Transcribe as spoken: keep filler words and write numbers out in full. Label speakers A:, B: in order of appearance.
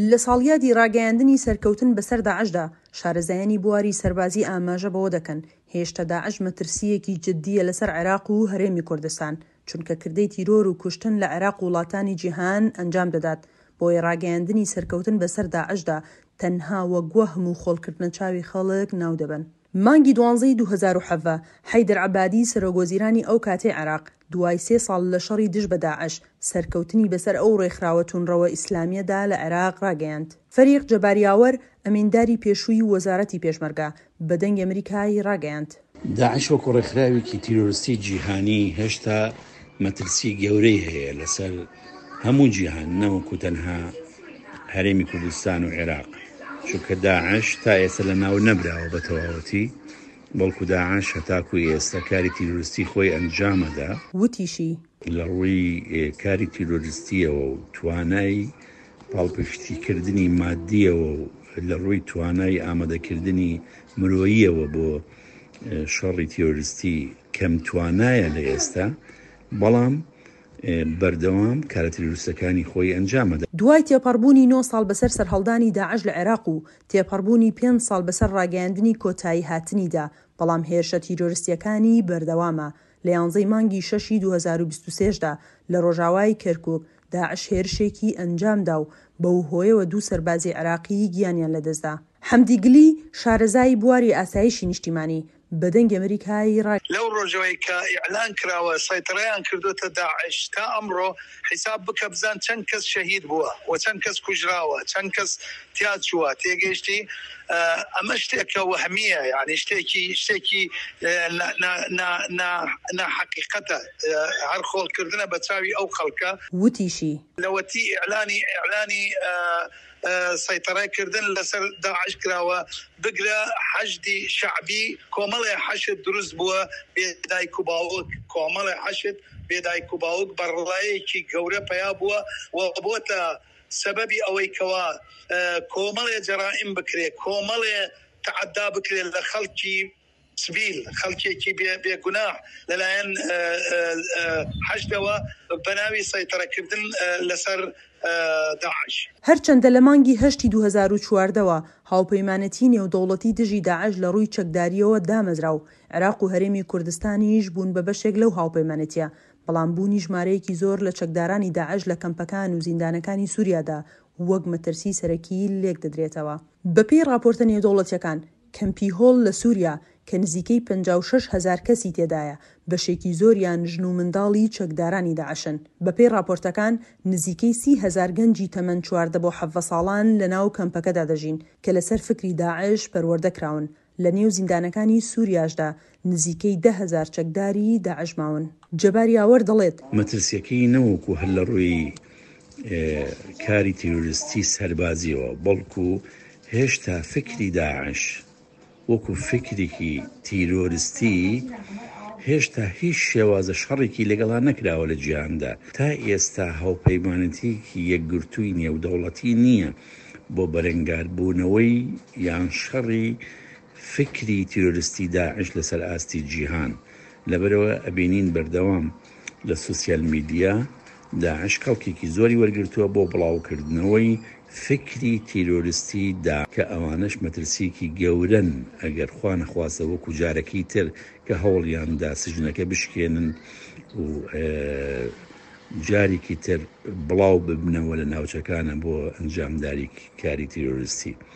A: لە ساڵیادی ڕاگەیاندنی سەرکەوتن بەسەر داعشدا، شارەزایانی بواری سەربازی ئاماژە بەوە دەکەن، هێشتا داعش مەترسییەکی جددییە لەسەر عێراق و هەرێمی کوردستان، چونکە کردەی تیرۆر و کوشتن لە عێراق و وڵاتانی جیهان ئەنجام دەدات، بۆیە ڕاگەیاندنی سەرکەوتن بەسەر داعشدا تەنها وەک وەهم و خۆڵکردنە چاوی خەڵک ناودەبەن. مانگی دوانزەی دوو هەزار و حەڤدە، حەیدەر عەبادی سەرۆکوەزیرانی ئەو کاتەی عێراق، دوای سێ ساڵ لە شەڕی دژ بە داعش، سەرکەوتنی بەسەر ئەو ڕێکخراوە توندڕەوە ئیسلامییەدا لە عێراق ڕاگەیاند. فەریق جەبار یاوەر، ئەمینداری پێشووی وەزارەتی پێشمەرگە، بە دەنگی ئەمریکای ڕاگەیاند.
B: داعش وەکو ڕێکخراوێکی تیرۆریستی جیهانی هێشتا مەترسی گەورەی هەیە لەسەر هەموو جیهان نەوەکو تەنها هەرێمی کوردستان و عێراق، چونکە داعش تا ئێستا لە ناو نەبراوە بە تەواوەتی، بەڵکو داعش هەتاکو ئێستا کاری تیرۆریستی خۆی ئەنجامەدا.
A: وتیشی.
B: لە ڕووی کاری تیرۆریستیەوە و توانای پاڵپشتیکردنی مادیەوە و لە ڕووی توانای ئامادەکردنی مرۆییەوە بۆ شەڕی تیرۆریستی کەم توانایە لە ئێستا، بەڵام بەردەوام کارە تیرۆریستەکانی خۆی ئەنجامەدا.
A: دوای تێپەڕبوونی نۆ ساڵ بەسەر سەرهەڵدانی داعش لە عێراق و تێپەڕبوونی پێنج ساڵ بەسەر ڕاگەیاندنی کۆتایی هاتنیدا، بەڵام هێرشە تیرۆریستیەکانی بەردەوامە. لە یانزەی مانگی شەشی دوو هەزار و بیست و سێ دا لە ڕۆژاوای کەرکوک داعش هێرشێکی ئەنجامدا و بەو هۆیەوە دوو سەربازی عێراقی گیانیان لەدەستدا. حەمدی گلی، شارەزای بواری ئاسایشی نیشتیمانی، بە دەنگی ئەمریکای ڕا.
C: لەو ڕۆژەوەی کە ئیعلان کراوە سەیتەرەیان کردۆتە داعش تا ئەمڕۆ حیساب بکە بزان چەند کەس شەهید بووە و چەند کەس کوژراوە چەند کەس تیا چووە تێگەیشتی ئەمە شتێکە وەهمیە یعنی شتێکی شتێکی ناحەقیقەتە هەر خۆڵکردنە بە چاوی ئەو خەڵکە.
A: وتیشی.
C: لەوەتی ئیعلانی ئیعلانی سەیتەرە کردن لەسەر داعش کراوە بگرە حەشدی شەعبی کۆمەڵێ حەشد دروست بووە بێ دایک و باوک، کۆمەڵێ حەشد بێ دایک و باوک بەڕڵایەکی گەورە پەیا بووە و بۆتە سەبەبی ئەوەی کەوا کۆمەڵێ جەرائیم بکرێ، کۆمەڵێ تەعەدا بکرێت لە خەڵکی سڤیل، خەڵکێکی بێگوناح لەلایەن حەشدەوە بەناوی سەیتەرەکردن لەسەر داعش.
A: هەرچەندە لە مانگی هەشتی دوو هەزار و چواردە وە هاوپەیمانێتی نێودەوڵەتی دژی داعش لە ڕووی چەکدارییەوە دامەزرا و عێراق و هەرێمی کوردستانیش بوون بە بەشێک لەو هاوپەیمانێتیە، بەڵام بوونی ژمارەیەکی زۆر لە چەکدارانی داعش لە کەمپەکان و زیندانەکانی سوریادا وەک مەترسی سەرەکی لێکدەدرێتەوە. بەپێی ڕاپۆرتە نێودەوڵەتیەکان، کەمپی هۆل لە سوریا کە نزیکەی پەنجا و شەش هەزار کەسی تێدایە، بەشێکی زۆریان ژن و منداڵی چەکدارانی داعشن. بەپێی ڕاپۆرتەکان، نزیکەی سی هەزار گەنجی تەمەن چواردە بۆ حەڤدە ساڵان لەناو کەمپەکەدا دەژین کە لەسەر فکری داعش پەروەردە کراون. لەنێو زیندانەکانی سوریاشدا نزیکەی دە هەزار چەکداری داعش ماون. جەبار یاوەر دەڵێت.
B: مەترسیەکەی نەوەکو هەر لە ڕووی کاری تیرۆریستی سەربازیەوە، بەڵکو هێشتا فکری داعش وەکو فکرێکی تیرۆریستی هێشتا هیچ شێوازە شەڕێکی لەگەڵا نەکراوە لە جیهاندا. تا ئێستا هاوپەیمانێتیەکی یەکگرتووی نێودەوڵەتی نییە بۆ بەرەنگاربوونەوەی یان شەڕی فکری تیرۆریستی داعش لەسەر ئاستی جیهان. لەبەرەوە ئەبینین بەردەوام لە سوسیال میدیا داعش کەڵکێکی زۆری وەرگرتووە بۆ بڵاوکردنەوەی فکری تیرۆریستی دا، کە ئەوانەش مەترسیەکی گەورەن ئەگەر خوا نەخواستە وەکو جارەکەی تر کە هەوڵیاندا سجنەکە بشکێنن و جارێکی تر بڵاو ببنەوە لە ناوچەکانە بۆ ئەنجامداری کاری تیرۆریستی.